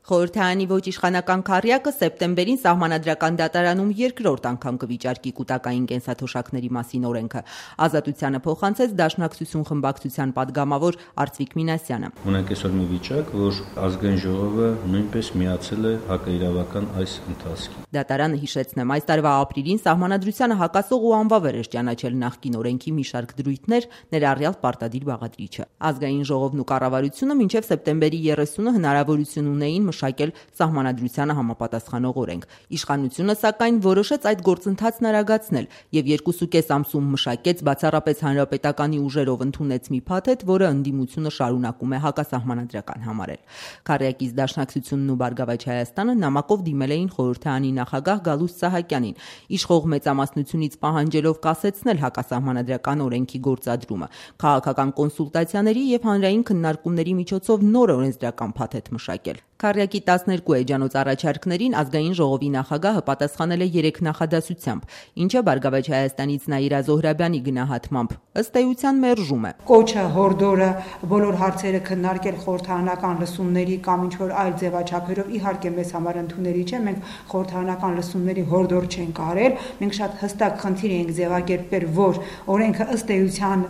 Խորհրդարանի ոչ իշխանական քառյակը սեպտեմբերին Սահմանադրական դատարանում երկրորդ անգամ կվիճարկի կուտակային կենսաթոշակների մասին օրենքը։ Ազատությանը փոխանցեց Դաշնակցություն խմբակցության падգամավոր Արծվիկ Մինասյանը։ Ունենք այսօր մի վիճակ, որ Ազգային ժողովը նույնպես միացել է հակաիրավական այս ընթացքին։ Դատարանը, հիշեցնեմ, այս տարվա ապրիլին Սահմանադրությանը հակասող ու անվավեր էր ճանաչել նախկին օրենքի մի շարք դրույթներ, ներառյալ պարտադիր բաղադրիչը։ Ազգային ժողովն ու կառավարությունը մինչև սեպտեմբերի 30-ը հնարավորություն ունեին մշակել Սահմանադրությանը համապատասխանող օրենք։ Իշխանությունը, սակայն, որոշեց այդ գործընթացն արագացնել եւ 2.5 ամսում մշակեց բացառապես հանրապետականի ուժերով ընդունեց մի փաթեթ, որը ընդդիմությունը շարունակում է հակասահմանադրական համարել։ Քառյակից Դաշնակցությունն ու Բարգավաճ Հայաստանը նամակով դիմել էին խորհրդարանի նախագահ Գալուստ Սահակյանին, իշխող մեծամասնությունից պահանջելով կասեցնել հակասահմանադրական օրենքի գործադրումը, քաղաքական կոնսուլտացիաների եւ հանրային քննարկումների միջոցով նոր օրենսդրական փաթեթ մշակել։ Քառյակի 12 էջանոց առաջարկներին Ազգային ժողովի նախագահը պատասխանել է 3 նախադասությամբ, ինչը Բարգավաճ Հայաստանից Նաիրա Զոհրաբյանի գնահատմամբ ըստ էության մերժում է։ Կոչը հորդորը բոլոր հարցերը քննարկել խորհրդարանական լսումների կամ ինչ-որ այլ ձևաչափերով իհարկե մեզ համար ընդունելի չէ, մենք խորհրդարանական լսումների հորդոր չենք արել, մենք շատ հստակ խնդիր ենք ձևակերպել, որ օրենքը ըստ էության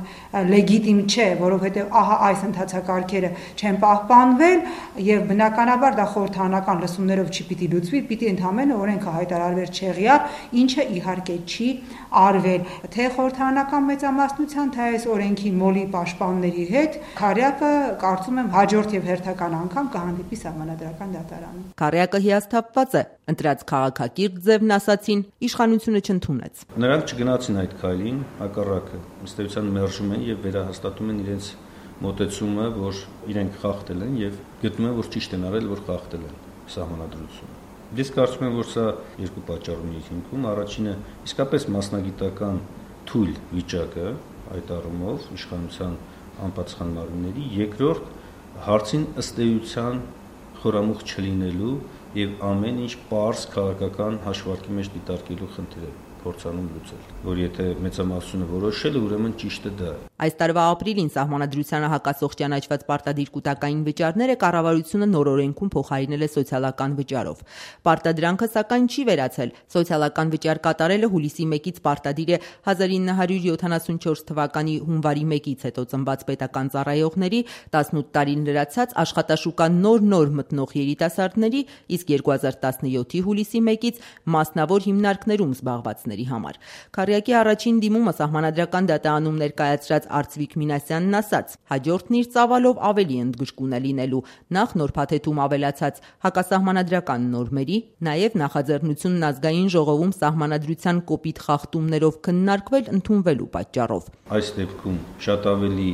լեգիտիմ չէ, որովհետև ահա այս ընթացակարգերը չեն պահպանվել եւ բնականաբար դա խորհրդարանական լսումներով չպիտի լուծվի, պիտի ընդհանրապես օրենքը հայտարարվեր չեղյալ, ինչը իհարկե չի արվել, թե խորհրդարանական մեծամասնության, թե այս օրենքի մոլի պաշտպանների հետ, քառյակը կարծում եմ հաջորդ եւ հերթական անգամ կհանդիպի Սահմանադրական դատարանում։ Քառյակը հիասթափված է, ընտրած քաղաքակիրթ ձևն ասացին, իշխանությունը չընդունեց։ Նրանք չգնացին այդ քայլին, հակառակը ըստ էության մերժում են եւ վերահաստատում են իրենց մոտեցումը, որ իրենք խախտել են եւ գտնում են, որ ճիշտ են արել, որ խախտել են Սահմանադրությունը։ Ես կարծում եմ, որ սա երկու պատճառների հիմքում, առաջինը իսկապես մասնագիտական թույլ վիճակը այդ առումով իշխանության անպատասխան մարմինների, երկրորդ հարցին ըստ էության խորամուխ չլինելու եւ ամեն ինչ պարզ քաղաքական հաշվարկի մեջ դիտարկելու խնդիրը փորձանում լուծել, որ եթե մեծամասնությունը որոշել է, ուրեմն ճիշտը դա է։ Այս տարվա ապրիլին Սահմանադրությանը հակասող ճանաչված պարտադիր կուտակային վճարները կառավարությունը նոր օրենքում փոխարինել է սոցիալական վճարով։ Պարտադրանքը, սակայն, չի վերացել։ Սոցիալական վճար կատարելը հուլիսի 1-ից պարտադիր է 1974 թվականի հունվարի 1-ից հետո ծնված պետական ծառայողների, 18 տարին լրացած աշխատաշուկա նոր մտնող երիտասարդների, իսկ 2017-ի հուլիսի 1-ից մասնավոր հիմնարկներում զբաղվածների համար։ Քառյակի առաջին դիմումը Սահմանադրական դատարանում ներկայացրած Արծվիկ Մինասյանն ասաց. հաջորդն իր ծավալով ավելի ընդգրկուն է լինելու, նախ նոր փաթեթում ավելացած հակասահմանադրական նորմերի, նաև նախաձեռնությունն Ազգային ժողովում Սահմանադրության կոպիտ խախտումներով քննարկվել ընդունվելու պատճառով։ Այս դեպքում շատ ավելի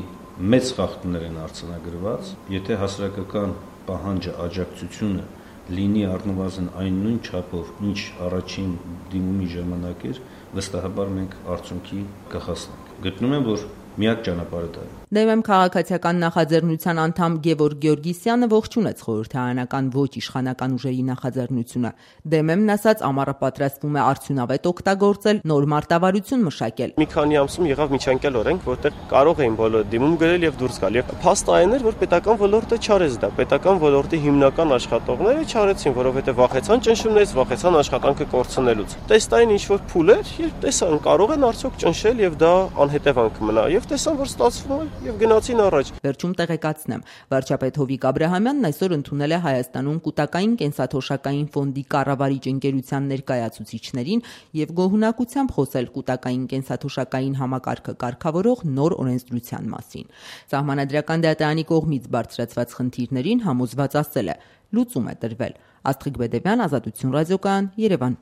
մեծ խախտումներ են արձանագրված, եթե հասարակական պահանջը, աջակցությունը լինի առնվազն այն նույն չափով, ինչ առաջին դիմումի ժամանակ էր, վստահաբար մենք արդյունքի կհասնենք։ Գտնում եմ, որ միակ ճանապարհը դա է։ ԴՄ քաղաքացիական նախաձեռնության անդամ Գևորգ Գեորգիսյանը ողջունեց խորհրդարանական ոչ իշխանական ուժերի նախաձեռնությունը։ ԴՄ-ն ասաց, ամառը պատրաստվում է արդյունավետ օգտագործել, նոր մարտավարություն մշակել։ Մի քանի ամսում եղավ միջանկյալ օրենք, որտեղ կարող էին բոլորը դիմում գրել եւ դուրս գալ։ Եվ փաստը այն էր, որ պետական ոլորտը չարեց դա։ Պետական ոլորտի հիմնական աշխատողները չարեցին, որովհետեւ վախեցան ճնշումներից, վախեցան աշխատանքը կորցնելուց։ Տեստային ինչ-որ փուլ էր, եւ տեսան կարող են արդյոք ճնշել եւ դա անհետևանք մնա։ Եվ տեսան, որ ստացվում է եւ գնացին առաջ։ Վերջում տեղեկացնեմ, վարչապետ Հովիկ Աբրահամյանն այսօր ընդունել է Հայաստանում կուտակային կենսաթոշակային ֆոնդի կառավարիչ ընկերության ներկայացուցիչներին եւ գոհունակությամբ խոսել կուտակային կենսաթոշակային համակարգը կարգավորող նոր օրենսդրության մասին։ Սահմանադրական դատարանի կողմից բարձրացված խնդիրներին համոզված ասել է՝ լուծում է տրվել։ Աստղիկ Բեդևյան, Ազատություն ռադիոկայան, Երևան։